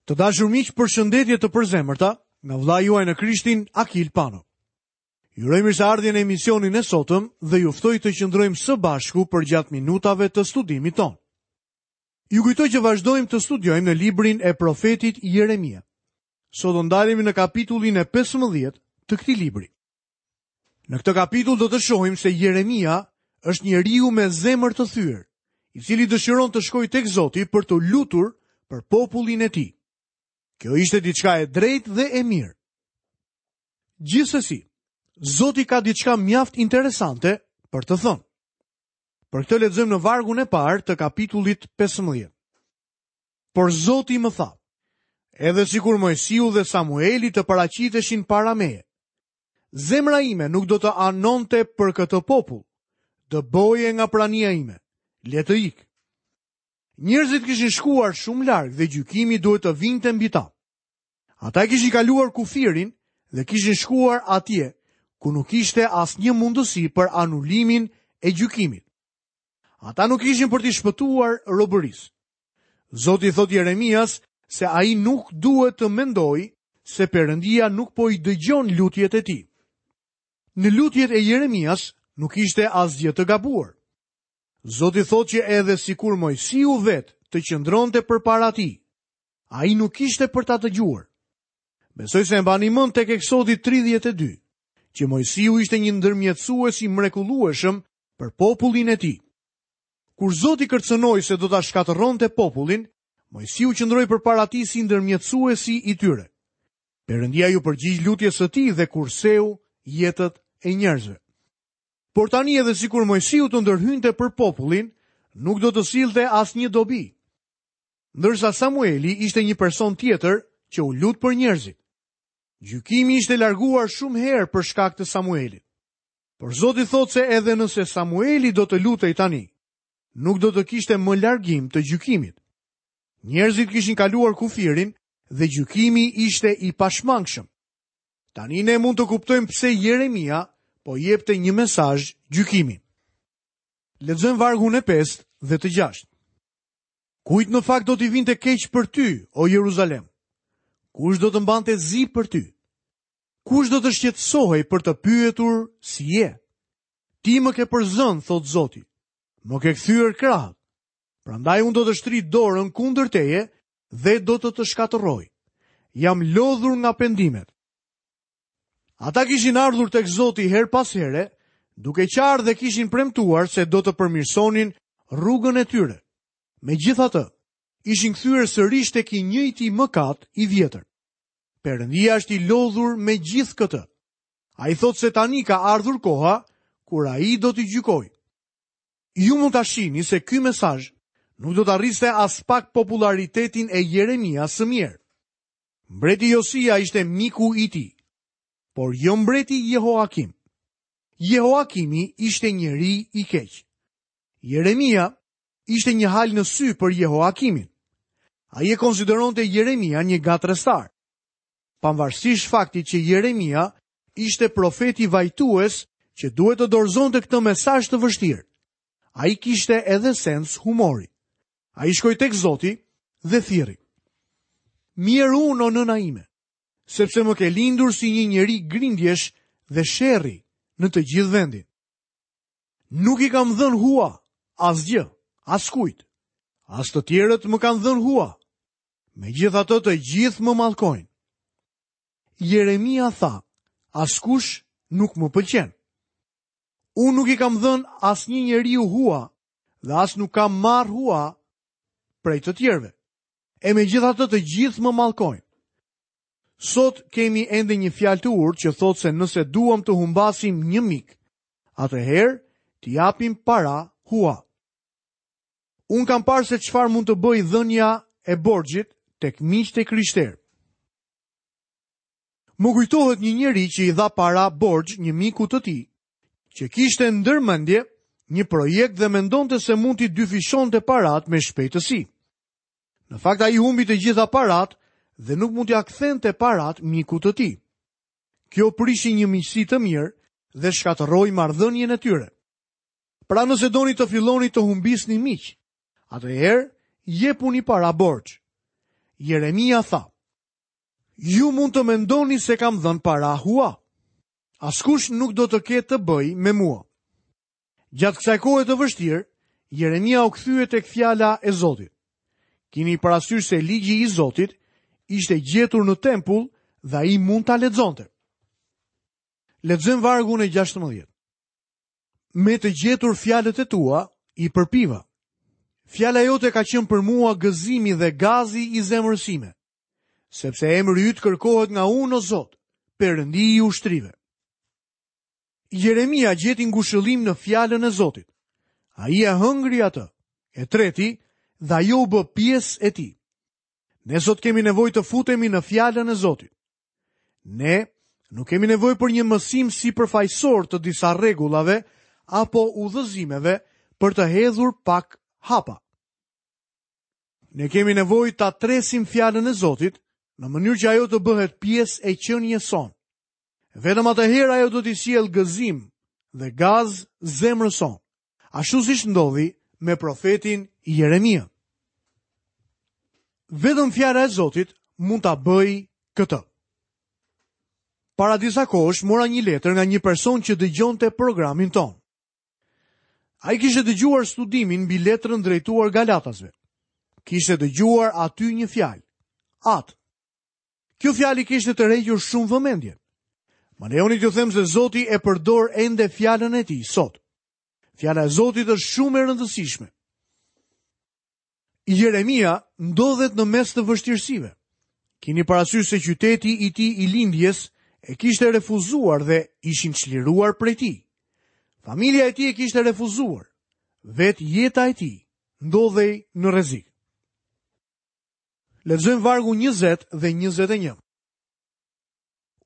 Të dashur miq, përshëndetje të përzemërta nga vëllai juaj në Krishtin Akil Pano. Ju uroj mirëseardhjen në emisionin e sotëm dhe ju ftoj të qëndrojmë së bashku përgjatë minutave të studimit tonë. Ju kujtoj që vazhdojmë të studiojmë në librin e profetit Jeremia. Sot do ndalemi në kapitullin e 15 të këtij libri. Në këtë kapitull do të shohim se Jeremia është njeriu me zemër të thyer, i cili dëshiron të shkojë tek Zoti për t'u lutur për popullin e tij. Kjo ishte diçka e drejtë dhe e mirë. Gjithsesi, Zoti ka diçka mjaft interesante për të thënë. Për këtë lexojmë në vargun e parë të kapitullit 15. Por Zoti më tha, edhe sikur Moisiu dhe Samueli të paraqiteshin para meje, Zemra ime nuk do të anonte për këtë popull. Dëboje nga prania ime. Le të ikë. Njerëzit kishin shkuar shumë larg dhe gjykimi duhet të vinte mbi ta. Ata e kishin kaluar kufirin dhe kishin shkuar atje ku nuk ishte asnjë mundësi për anulimin e gjykimit. Ata nuk ishin për t'i shpëtuar robërisë. Zoti i thotë Jeremias se ai nuk duhet të mendojë se Perëndia nuk po i dëgjon lutjet e tij. Në lutjet e Jeremias nuk ishte asgjë të gabuar. Zoti thotë që edhe sikur Moisiu vetë të qëndronte përpara tij, ai nuk ishte për ta dëgjuar. Besoj se e mbani mend tek Eksodi 32, që Moisiu ishte një ndërmjetësues i mrekullueshëm për popullin e tij. Kur Zoti kërcënoi se do ta shkatërronte popullin, Moisiu qëndroi përpara tij si ndërmjetësuesi i tyre. Perëndia iu përgjigj lutjes së tij dhe kurseu jetët e njerëzve. Por tani edhe sikur Moisiu të ndërhynte për popullin, nuk do të sillte asnjë dobi. Ndërsa Samueli ishte një person tjetër që u lut për njerëzit. Gjykimi ishte larguar shumë herë për shkak të Samuelit. Por Zoti thotë se edhe nëse Samueli do të lutej tani, nuk do të kishte më largim të gjykimit. Njerëzit kishin kaluar kufirin dhe gjykimi ishte i pashmangshëm. Tani ne mund të kuptojmë pse Jeremia po jepte një mesazh gjykimi. Lexojmë vargun e 5 dhe të 6. Kujt në fakt do t'i vinte keq për ty, o Jeruzalem? Kush do të mbante zi për ty? Kush do të shqetësohej për të pyetur si je? Ti më ke përzënë, thotë Zoti. Më ke kthyer krahët. Prandaj unë do të shtrij dorën kundër teje dhe do të të shkatërroj. Jam lodhur nga pendimet. Ata kishin ardhur tek Zoti herë pas here, duke qarë dhe kishin premtuar se do të përmirësonin rrugën e tyre. Megjithatë, ishin kthyer sërish tek i njëjti mëkat i vjetër. Perëndia është i lodhur me gjithë këtë. Ai thotë se tani ka ardhur koha kur ai do t'i gjykojë. Ju mund ta shihni se ky mesazh nuk do ta rriste aspak popullaritetin e Jeremias së mjerë. Mbreti Josia ishte miku i tij, por jo mbreti Jehoakim. Jehoakimi ishte njeri i keq. Jeremia ishte një halë në sy për Jehoakimin. Ai e konsideronte Jeremian një ngatërrestar. Pavarësisht faktit që Jeremia ishte profeti vajtues që duhet të dorëzonte këtë mesazh të vështirë. Ai kishte edhe sens humori. Ai shkoi tek Zoti dhe thirri. Mjerë unë o nëna ime, sepse më ke lindur si një njeri grindjesh dhe sherri në të gjithë vendin. Nuk i kam dhënë hua, asgjë, askujt. As të tjerët më kanë dhënë hua. Megjithatë të gjithë më mallkojnë. Jeremia tha, askush nuk më pëlqen. Unë nuk i kam dhënë asnjë njeriu hua dhe as nuk kam marrë hua prej të tjerëve. E megjithatë të gjithë më mallkojnë. Sot kemi ende një fjalë të urtë që thotë se nëse duam të humbasim një mik, atëherë t'i japim para hua. Unë kam parë se çfarë mund të bëjë dhënia e borxhit tek miqtë e krishterë. Më kujtohet një njeri që i dha para borxh një miku të tij, që kishte ndër mendje një projekt dhe mendonte se mund t'i dyfishonte paratë me shpejtësi. Në fakt ai humbi të gjitha paratë dhe nuk mund t'ia kthente paratë mikut të tij. Kjo prishi një miqësi të mirë dhe shkatërroi marrëdhënien e tyre. Pra nëse doni të filloni të humbisni miq, atëherë jepuni para borxh. Jeremia tha: Ju mund të mendoni se kam dhënë para hua. Askush nuk do të ketë të bëjë me mua. Gjatë kësaj kohe të vështirë, Jeremia u kthye tek fjala e Zotit. Kini parasysh se ligji i Zotit ishte gjetur në tempull dhe ai mund ta lexonte. Lexojmë vargun e 16. Me të gjetur fjalët e tua, i përpiva. Fjala jote ka qenë për mua gëzimi dhe gazi i zemrës sime, sepse emri yt kërkohet nga unë o Zot, Perëndi i ushtrive. Jeremia gjeti ngushëllim në fjalën e Zotit. Ai e hëngri atë, e treti dhe ajo u bë pjesë e tij. Ne sot kemi nevojë të futemi në fjalën e Zotit. Ne nuk kemi nevojë për një mësim sipërfaqësor të disa rregullave apo udhëzimeve për të hedhur pak hapa. Ne kemi nevojë ta tresim fjalën e Zotit në mënyrë që ajo të bëhet pjesë e qenies sonë. Vetëm atëherë ajo do t'i sjellë gëzim dhe gaz zemrës sonë, ashtu siç ndodhi me profetin Jeremia. Vetëm fjala e Zotit mund ta bëjë këtë. Para disa kohësh mora një letër nga një person që dëgjonte programin tonë. Ai kishte dëgjuar studimin mbi letrën drejtuar Galatasve. Kishte dëgjuar aty një fjalë, Atë. Kjo fjalë i kishte tërhequr shumë vëmendjen. Më lejoni t'ju them se Zoti e përdor ende fjalën e tij sot. Fjala e Zotit është shumë e rëndësishme. Jeremia ndodhet në mes të vështirësive. Kini parasysh se qyteti i tij i lindjes e kishte refuzuar dhe ishin çliruar prej tij. Familja e tij e kishte refuzuar. Vetë jeta e tij ndodhej në rrezik. Lexojmë vargun 20 dhe 21.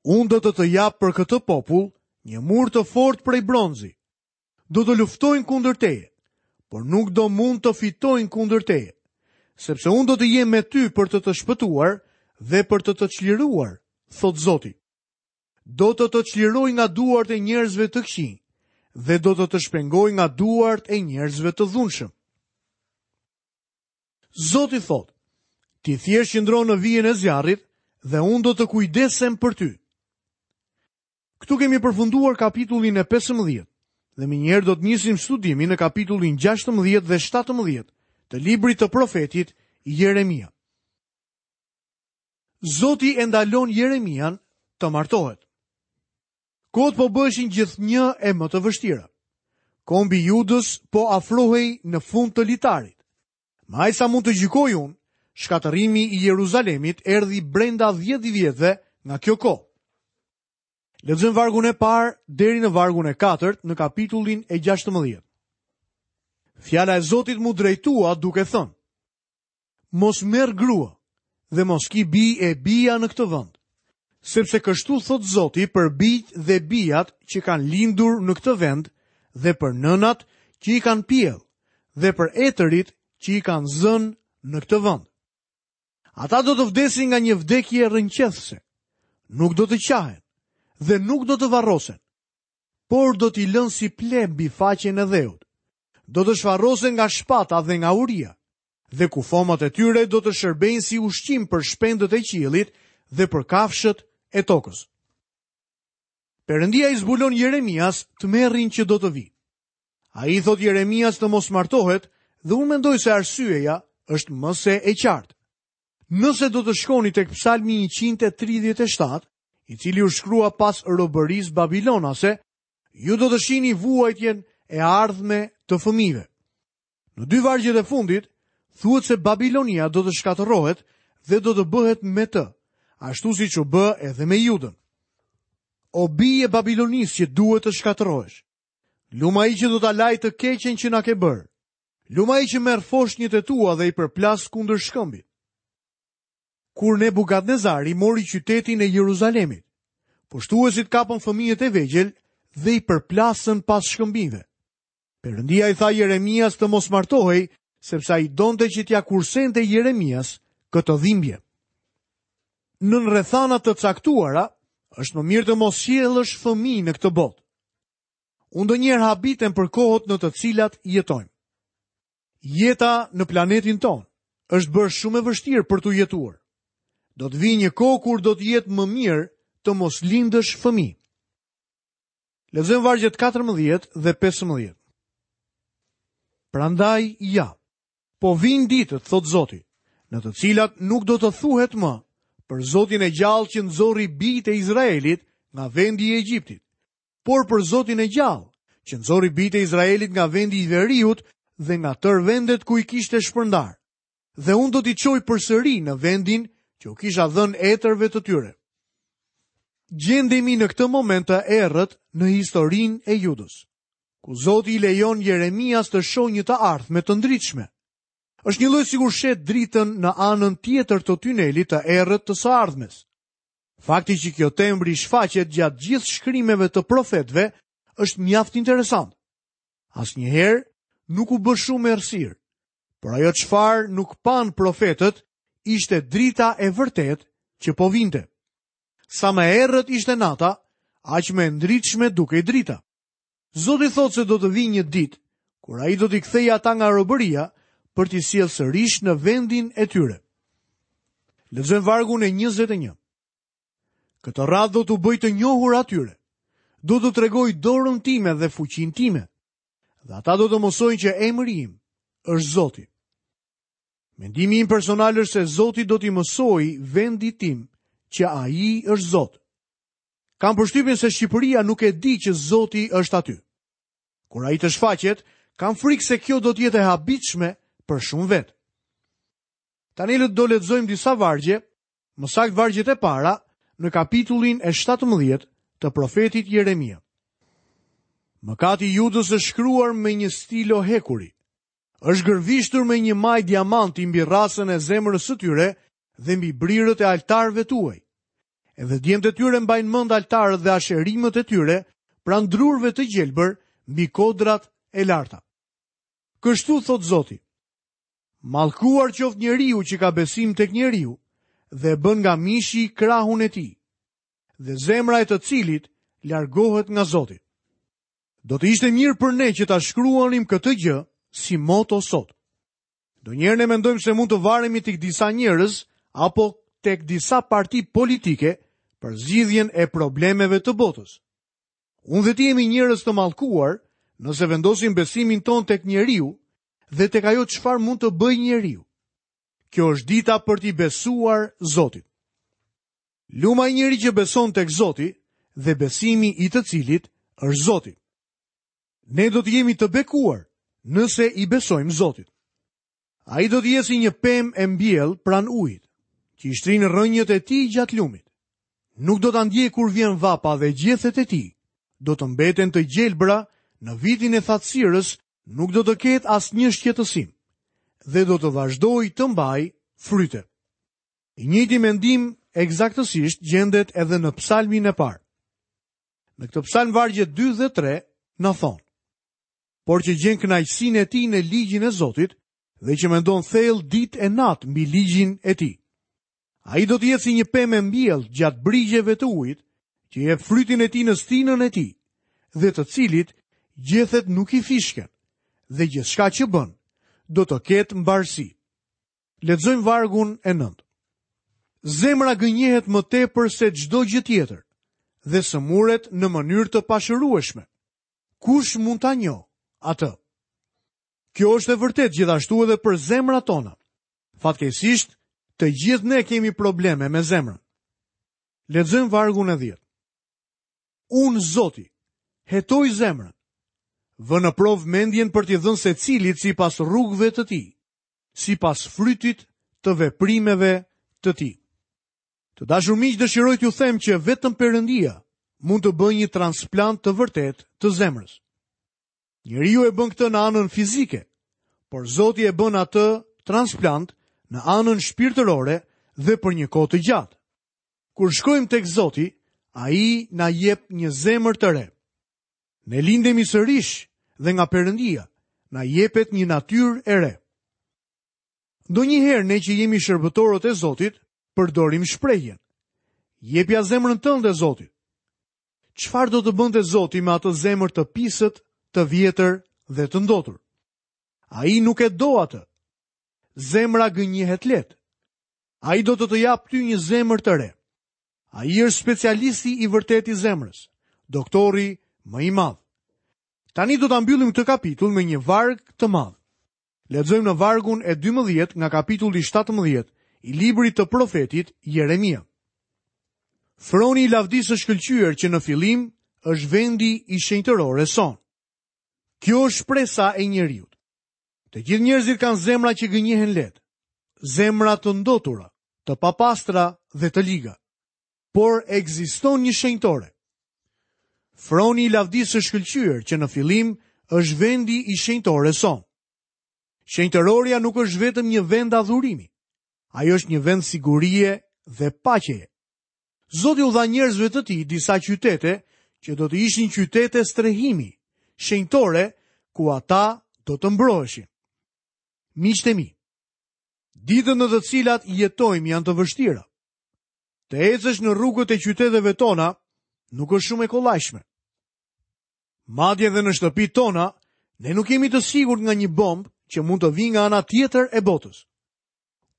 Unë do të të jap për këtë popull një mur të fortë prej bronzi. Do të luftojnë kundër teje, por nuk do mund të fitojnë kundër teje, sepse unë do të jem me ty për të të shpëtuar dhe për të të çliruar, thotë Zoti. Do të të çliroj nga duart e njerëzve të këqij dhe do të të shpengoj nga duart e njerëzve të dhunshëm. Zoti thotë, ti thjesht qëndro në vijën e zjarrit dhe unë do të kujdesem për ty. Këtu kemi përfunduar kapitullin e 15 dhe menjëherë do të nisim studimin në kapitullin 16 dhe 17 të librit të profetit Jeremia. Zoti e ndalon Jeremian të martohet. Kohët po bëheshin gjithnjë e më të vështira. Kombi i Judës po afrohej në fund të litarit. Me aq sa mund të gjykoj unë, shkatërrimi i Jeruzalemit erdhi brenda 10 vjetëve nga kjo kohë. Lexojmë vargun e parë deri në vargun e katërt në kapitullin e 16. Fjala e Zotit m'u drejtua duke thënë: Mos merr grua dhe mos ki bij e bija në këtë vend. Sepse kështu thotë Zoti për bijtë dhe bijat që kanë lindur në këtë vend dhe për nënat që i kanë pjellë dhe për etërit që i kanë zënë në këtë vend. Ata do të vdesin nga një vdekje rrëqethëse, nuk do të qahen dhe nuk do të varrosen, por do t'i lënë si pleh mbi faqen e dheut. Do të shfarrosen nga shpata dhe nga uria, dhe kufomat e tyre do të shërbejnë si ushqim për shpendët e qiellit dhe për kafshët e tokës. Perëndia i zbulon Jeremias tmerrin që do të vijë. Ai i thotë Jeremias të mos martohet dhe unë mendoj se arsyeja është më se e qartë. Nëse do të shkoni tek Psalmi 137, i cili u shkrua pas robërisë babilonase, ju do të shihni vuajtjen e ardhme të fëmijëve. Në dy vargjet e fundit, thuhet se Babilonia do të shkatërrohet dhe do të bëhet me të, ashtu siç u bë edhe me Judën. O bijë e Babilonisë që duhet të shkatërrohesh. Lum ai që do ta lajë të keqen që na ke bërë. Lum ai që merr foshnjët e tua dhe i përplas kundër shkëmbit. Kur Nebukadnezari mori qytetin e Jeruzalemit, pushtuesit kapën fëmijët e vegjël dhe i përplasën pas shkëmbinjve. Perëndia i tha Jeremias të mos martohej, sepse ai donte që t'ia kursente Jeremias këtë dhimbje. Nën rrethana të caktuara, është më mirë të mos sjellësh fëmijë në këtë botë. Unë ndonjëherë habitem për kohët në të cilat jetojmë. Jeta në planetin tonë është bërë shumë e vështirë për t'u jetuar. Do të vijë një kohë kur do të jetë më mirë të mos lindësh fëmijë. Lexojmë vargjet 14 dhe 15. Prandaj ja, po vijnë ditët, thotë Zoti, në të cilat nuk do të thuhet më për Zotin e gjallë që nxori bijtë e Izraelit nga vendi i Egjiptit, por për Zotin e gjallë që nxori bijtë e Izraelit nga vendi i veriut dhe nga tërë vendet ku i kishte shpërndarë. Dhe unë do t'i çoj përsëri në vendin që u kisha dhënë etërve të tyre. Gjendemi në këtë moment të errët në historinë e Judës, ku Zoti i lejon Jeremias të shohë një të ardhme të ndritshme. Është njëlloj sikur sheh dritën në anën tjetër të tunelit të errët të së ardhmes. Fakti që kjo temë rishfaqet gjatë gjithë shkrimeve të profetëve është mjaft interesant. Asnjëherë nuk u bë shumë errësirë, Por ajo çfarë nuk panë profetët ishte drita e vërtetë që po vinte. Sa më e errët ishte nata, aq më e ndritshme dukej drita. Zoti thotë se do të vijë një ditë kur ai do t'i kthejë ata nga robëria për t'i sjellë sërish në vendin e tyre. Lexojmë vargun e 21. Këtë radhë do t'u bëj të njohur atyre. Do t'u tregoj dorën time dhe fuqinë time. Dhe ata do të mësojnë që emri im është Zoti. Mendimi im personal është se Zoti do t'i mësojë vendit tim që ai është Zot. Kam përshtypjen se Shqipëria nuk e di që Zoti është aty. Kur ai të shfaqet, kam frikë se kjo do të jetë e habitshme për shumë vetë. Tani do lexojmë disa vargje Më saktë vargjet e para në kapitullin e 17 të profetit Jeremia. Mëkati i Judës është shkruar me një stilo hekuri. Është gërvishtur me një majë diamanti mbi rrasën e zemrës së tyre dhe mbi brirët e altarëve tuaj. Edhe djemtë e tyre mbajnë mend altarët dhe asherimët e tyre pranë drurëve të gjelbër mbi kodrat e larta. Kështu thotë Zoti, Mallkuar qoftë njeriu që ka besim tek njeriu dhe e bën nga mishi krahun e tij, dhe zemra e të cilit largohet nga Zoti. Do të ishte mirë për ne që ta shkruanim këtë gjë si moto sot. Ndonjëherë ne mendojmë se mund të varemi tek disa njerëz apo tek disa parti politike për zgjidhjen e problemeve të botës. Unë dhe ti jemi njerëz të mallkuar nëse vendosim besimin tonë tek njeriu dhe tek ajo çfarë mund të bëjë njeriu. Kjo është dita për t'i besuar Zotit. Lum ai njeri që beson tek Zoti dhe besimi i të cilit është Zoti. Ne do të jemi të bekuar nëse i besojmë Zotit. Ai do të jetë si një pemë e mbjellë pranë ujit, që i shtrin rrënjët e tij gjatë lumit. Nuk do ta ndjejë kur vjen vapa dhe gjethet e tij do të mbeten të gjelbra në vitin e thatësirës nuk do të ketë asnjë shqetësim dhe do të vazhdojë të mbajë fryte. I njëjti mendim ekzaktësisht gjendet edhe në psalmin e parë. Në këtë psalm vargjet 2 dhe 3 na thonë: Por që gjen kënaqësinë e tij në ligjin e Zotit dhe që mendon thellë ditë e natë mbi ligjin e tij. Ai do të jetë si një pemë e mbjellë gjatë brigjeve të ujit, që jep frytin e tij në stinën e tij, dhe të cilit gjethet nuk i fishken, dhe gjithçka që bën, do të ketë mbarësi. Lexojmë vargun e 9. Zemra gënjehet më tepër se çdo gjë tjetër dhe sëmuret në mënyrë të pashërueshme. Kush mund ta njohë atë? Kjo është e vërtetë gjithashtu edhe për zemrat tona. Fatkeqësisht, të gjithë ne kemi probleme me zemrën. Lexojmë vargun e 10. Unë Zoti, hetoj zemrën. Vë në provë mendjen për t'i dhënë secilit sipas rrugëve të tij, sipas frytit të veprimeve të tij. Të dashur miq, dëshiroj t'ju them që vetëm Perëndia mund të bëjë një transplant të vërtetë të zemrës. Njeriu e bën këtë në anën fizike, por Zoti e bën atë transplant në anën shpirtërore dhe për një kohë të gjatë. Kur shkojmë tek Zoti, ai na jep një zemër të re. Ne lindemi sërish dhe nga Perëndia na jepet një natyrë e re. Ndonjëherë ne që jemi shërbëtorët e Zotit, përdorim shprehjen. Jepja zemrën tënde Zotit. Çfarë do të bënte Zoti me atë zemër të pisët, të vjetër dhe të ndotur? Ai nuk e do atë. Zemra gënjehet lehtë. Ai do të të japë ty një zemër të re. Ai është specialisti i vërtetë i zemrës, doktori më i madh. Tani do ta mbyllim këtë kapitull me një varg të madh. Lexojmë në vargun e 12 nga kapitulli 17 i librit të profetit Jeremia. Froni i lavdisë së shkëlqyer që në fillim është vendi i shenjtërores sonë. Kjo është shpresa e njeriut. Të gjithë njerëzit kanë zemra që gënjehen lehtë, zemra të ndotura, të papastra dhe të liga. Por ekziston një shenjtore. Froni i lavdisë së shkëlqyer që në fillim është vendi i shenjtores sonë. Shenjtërorja nuk është vetëm një vend adhurimi. Ajo është një vend sigurie dhe paqeje. Zoti u dha njerëzve të tij disa qytete që do të ishin qytete strehimi, shenjtore ku ata do të mbroheshin. Miqtë e mi, ditët në të cilat jetojmë janë të vështira. Të ecësh në rrugët e qyteteve tona nuk është shumë e kollajshme. Madje dhe në shtëpitë tona, ne nuk jemi të sigurt nga një bombë që mund të vijë nga ana tjetër e botës.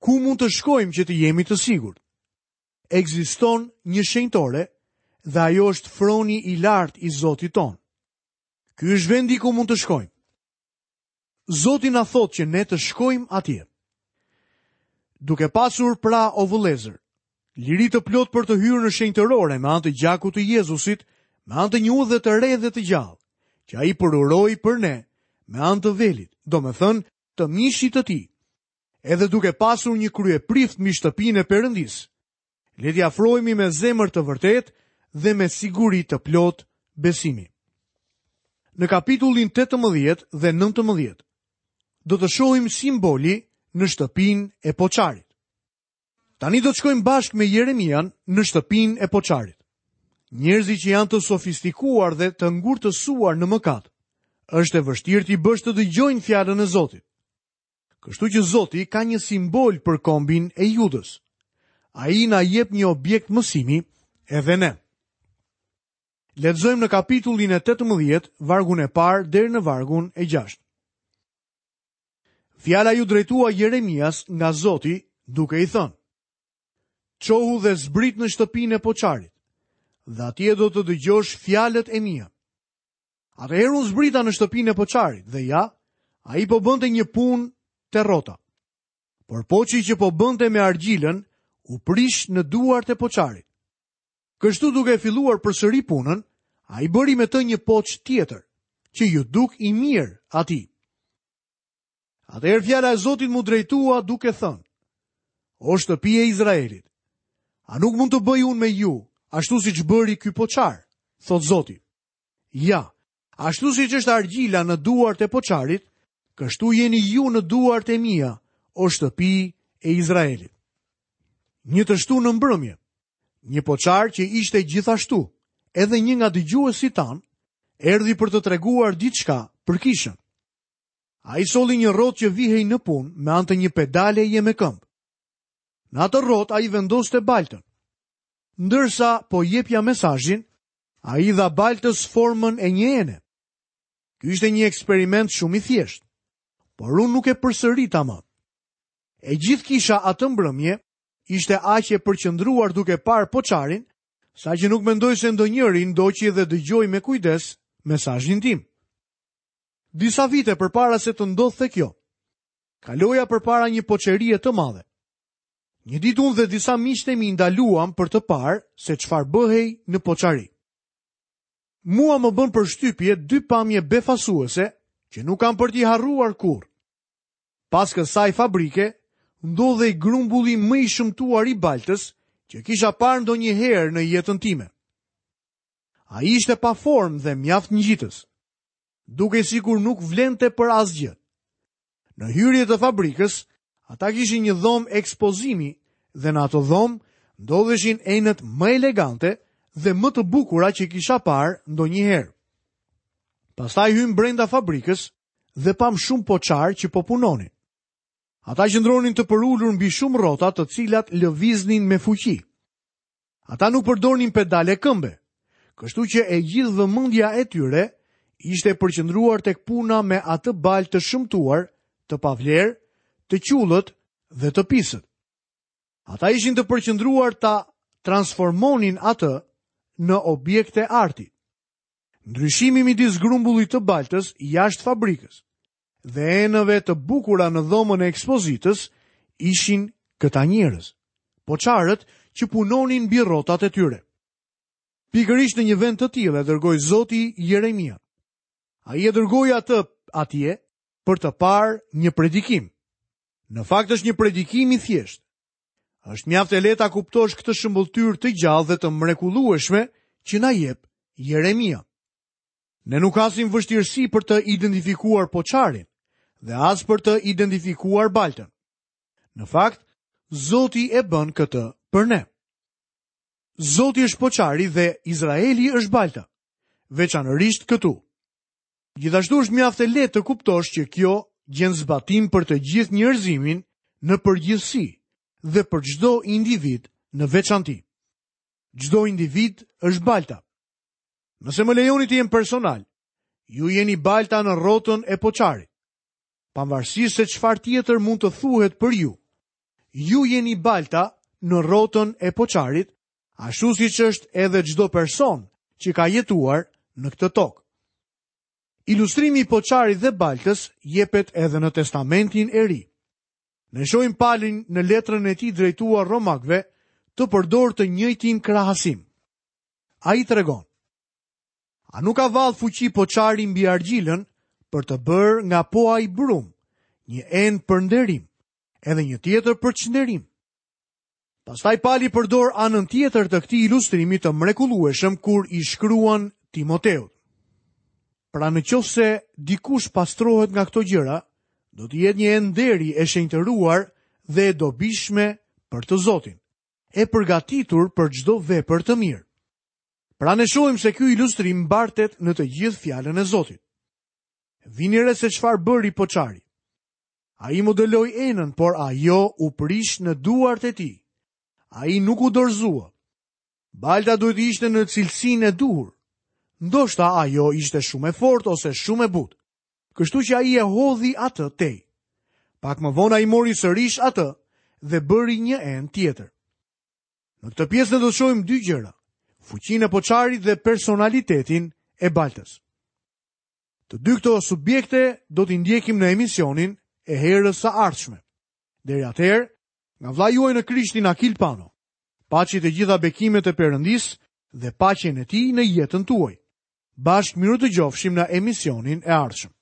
Ku mund të shkojmë që të jemi të sigurt? Ekziston një shenjtore dhe ajo është froni i lartë i Zotit tonë. Ky është vendi ku mund të shkojmë. Zoti na thotë që ne të shkojmë atje. Duke pasur pra o vëllezër, liri të plotë për të hyrë në shenjtërore me anë të gjakut të Jezusit, me anë të një udhe të re dhe të gjallë, që ai përuroi për ne me anë të velit, domethënë të mishit të tij. Edhe duke pasur një kryeprift mbi shtëpinë e Perëndisë, Le t'i afrohemi me zemër të vërtetë dhe me siguri të plotë besimi. Në kapitullin 18 dhe 19 do të shohim simboli në shtëpinë e poçarit. Tani do të shkojmë bashkë me Jeremian në shtëpinë e poçarit. Njerëzit që janë të sofistikuar dhe të ngurtësuar në mëkat, është e vështirë t'i bësh të dëgjojnë fjalën e Zotit. Kështu që Zoti ka një simbol për kombin e Judës. Ai na jep një objekt mësimi edhe ne. Lexojmë në kapitullin e 18, vargun e parë deri në vargun e 6. Fjala iu drejtua Jeremias nga Zoti, duke i thënë: Çohu dhe zbrit në shtëpinë e poçarit, dhe atje do të dëgjosh fjalët e mia. Atëherë unë zbrita në shtëpinë e poçarit dhe ja, ai po bënte një punë te rrota. Por poçi që po bënte me argjilën u prish në duart e poçarit. Kështu duke filluar përsëri punën, ai bëri me të një poç tjetër, që iu duk i mirë atij. Atëherë fjala e Zotit m'u drejtua duke thënë, O shtëpi e Izraelit, a nuk mund të bëj unë me ju, ashtu siç bëri ky poçar, thotë Zoti. Ja, ashtu siç është argjila në duart e poçarit, kështu jeni ju në duart e mia, o shtëpi e Izraelit. Një të shtunë në mbrëmje, një poçar që ishte gjithashtu edhe një nga dëgjuesit tanë, erdhi për të treguar diçka për kishën. Ai solli një rrotë që vihej në punë me anë të një pedaleje me këmbë. Në atë rrotë ai vendoste baltën. Ndërsa po jepja mesazhin, Ai i dha baltës formën e një ene. Ky ishte një eksperiment shumë i thjeshtë, por unë nuk e përsërita më. E gjithë kisha atë mbrëmje ishte aq e përqendruar duke parë poçarin, saqë nuk mendoj se ndonjëri ndoqi dhe dëgjoi me kujdes mesazhin tim. Disa vite përpara se të ndodhte kjo, kaloja përpara një poçerie të madhe. Një ditë unë dhe disa miqtë e mi ndaluam për të parë se çfarë bëhej në poçari. Mua më bënë përshtypje dy pamje befasuese që nuk kam për t'i harruar kurrë. Pas kësaj fabrike ndodhej grumbulli më i shëmtuar i baltës që kisha parë ndonjëherë në jetën time. Ai ishte pa formë dhe mjaft ngjitës. Dukej sikur nuk vlente për asgjë. Në hyrje të fabrikës, ata kishin një dhomë ekspozimi dhe në atë dhomë ndodheshin enët më elegante dhe më të bukura që kisha parë ndonjëherë. Pastaj hymë brenda fabrikës dhe pamë shumë poçarë që po punonin. Ata qëndronin të përulur mbi shumë rrota të cilat lëviznin me fuqi. Ata nuk përdornin pedale këmbe, kështu që e gjithë vëmendja e tyre ishte e përqendruar tek puna me atë baltë të shëmtuar, të pavlerë, të qullët dhe të pisët. Ata ishin të përqendruar ta transformonin atë në objekte arti. Ndryshimi midis grumbullit të baltës jashtë fabrikës dhe enëve të bukura në dhomën e ekspozitës ishin këta njerëz, poçarët që punonin mbi rrotat e tyre. Pikërisht në një vend të tillë e dërgoi Zoti Jeremian. Ai e dërgoi atë atje për të parë një predikim. Në fakt është një predikim i thjeshtë. Është mjaft e lehtë ta kuptosh këtë shëmbëlltyrë të gjallë dhe të mrekullueshme që na jep Jeremia. Ne nuk hasim vështirësi për të identifikuar poçarin dhe as për të identifikuar baltën. Në fakt, Zoti e bën këtë për ne. Zoti është poçari dhe Izraeli është balta, veçanërisht këtu. Gjithashtu është mjaft e lehtë të kuptosh që kjo gjen zbatim për të gjithë njerëzimin në përgjithësi dhe për çdo individ në veçanti. Çdo individ është balta. Nëse më lejoni të jem personal, ju jeni balta në rrotën e poçarit. Pavarësisht se çfarë tjetër mund të thuhet për ju, ju jeni balta në rrotën e poçarit, ashtu siç është edhe çdo person që ka jetuar në këtë tokë. Ilustrimi i poçarit dhe baltës jepet edhe në Testamentin e Ri. Ne shohim Palin në letrën e tij drejtuar romakëve të përdorë të njëjtin krahasim. Ai tregon: A nuk ka vallë fuqi poçari mbi argjilën për të bërë nga po ai brumë një enë për nderim, edhe një tjetër për çnderim? Pastaj Pali përdor anën tjetër të këtij ilustrimi të mrekullueshëm kur i shkruan Timoteut. Pra në qoftë se dikush pastrohet nga këto gjëra, do të jetë një enë nderi e shenjtëruar dhe e dobishme për të Zotin, e përgatitur për çdo vepër të mirë. Pra ne shohim se ky ilustrim mbartet në të gjithë fjalën e Zotit. Vini re se çfarë bëri poçari. Ai modeloi enën, por ajo u prish në duart e tij. Ai nuk u dorëzua. Balta duhet të ishte në cilësinë e duhur. Ndoshta ajo ishte shumë e fortë ose shumë e butë. Kështu që ai e hodhi atë tej. Pak më vonë ai mori sërish atë dhe bëri një enë tjetër. Në këtë pjesë ne do të shohim dy gjëra: fuqinë e poçarit dhe personalitetin e baltës. Të dy këto subjekte do t'i ndjekim në emisionin e herës së ardhshme. Deri atëherë, nga vëllai juaj në Krishtin Akil Pano. Paçi të gjitha bekimet e Perëndisë dhe paqen e tij në jetën tuaj. Bashkë mirudëgjofshim në emisionin e ardhshëm.